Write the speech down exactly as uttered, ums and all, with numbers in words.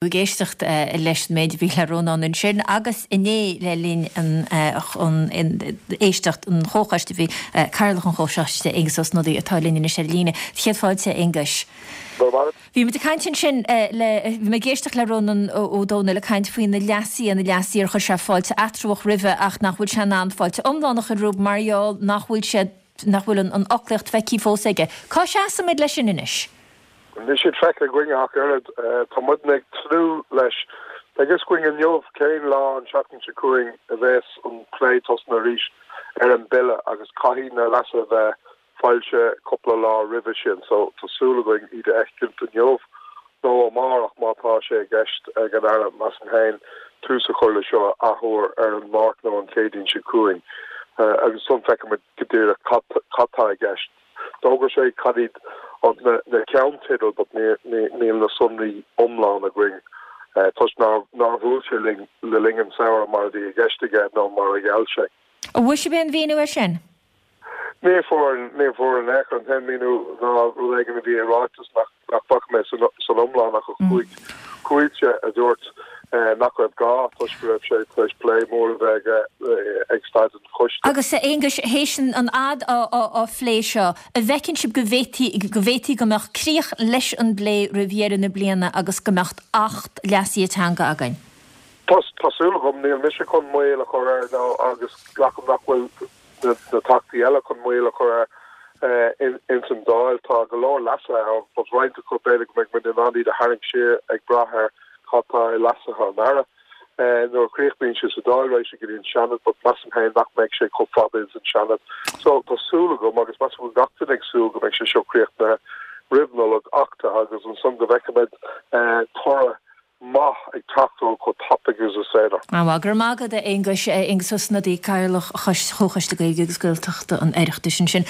Ag éisteacht leis an méid a bhí le Rónán ansin agus inné le linn an éisteacht an chomhchoiste bhí Cathaoirleach an Chomhchoiste Aengus Ó Snodaigh atá linn anois ar líne. Céad fáilte Aengus. Bhí muid ag caint ansin le bhí mé ag éisteacht le Rónán Ó Domhnaill ag caint faoi na leasuithe na leasuithe ar chuir sé fáilte eatramhach roimhe ach nach bhfuil sé in ann fáilte iomlán a chur roimhe mar gheall nach bhfuil sé nach bhfuil an fhoclaíocht feicthe fós aige. Cá seasaimid leis sin anois? Níl siad feicthe againn ach oiread tá muid ag tnúth leis. Beidh fhios againn inniu cén lá an tseachtain seo chugainn a bheas an plé tosnaithe arís ar an bille agus caithfidh na leasuithe a bheith foilsithe cúpla lá roimhe sin so tá súil againn iad a fheiscint inniu nó amárach má tá sé i gceist ag an Aire measaim féin tús a chur le seo athuair ar an Máirt nó an Chéadaoin seo chugainn agus ansan feicfimid go díreach cad tá i gceist. D'fhógair sé cad iad na na ceannteidil but níl na sonraí iomlán againn toisc nár nár bhuail sé linn le linn an samhradh mar a bhí i gceist aige nó mar a gheall sé. An bhfuair sibh aon mhíniú air sin? Ní fuair ní fuair in aon chor an t-aon mhíniú ná rud éigin a bhí i ráiteas nach nach bhfaca mé san san iomlán ach cúig cúig a dúirt nach raibh gá toisc go raibh sé tar éis plé mór a bheith aige ag staid an choiste. Agus a Aonghuis, théis an fhad á phlé seo, an bhfeiceann sibh go bhféadfaí go bhféadfaí go mbeadh críoch leis an bplé roimh dheireadh na bliana agus go mbeadh Acht leasaithe teanga againn? Tá tá súil agam, níl mise chun moill a chur air nó agus glacaim nach bhfuil na Teachtaí eile chun moill a chur air ins an Dáil. Tá go leor leasuithe ann, but roinnt acu b'fhéidir go mbeidh muid in ann iad a tharraingt siar ag brath ar cad tá i leasuithe an Aire. Nuair a chríochnaíonn sé sa Dáil raghaidh sé go dtí an Seanad, but measaim féin nach mbeidh sé chomh fada ins an Seanad. So tá súil agam agus measaim go bhfuil gach duine ag súil go mbeidh sé seo críochnaithe roimh Nollaig achtaithe agus ansan go bhfeicfimid toradh maith ag teacht ó chomh tapaidh agus is féidir. An-mhaith. Go raibh maith agat a Aonghuis. Aengus Ó Snodaigh, Cathaoirleach Chomhchoiste Gaeilge agus Gaeltachta an Oireachtais ansin.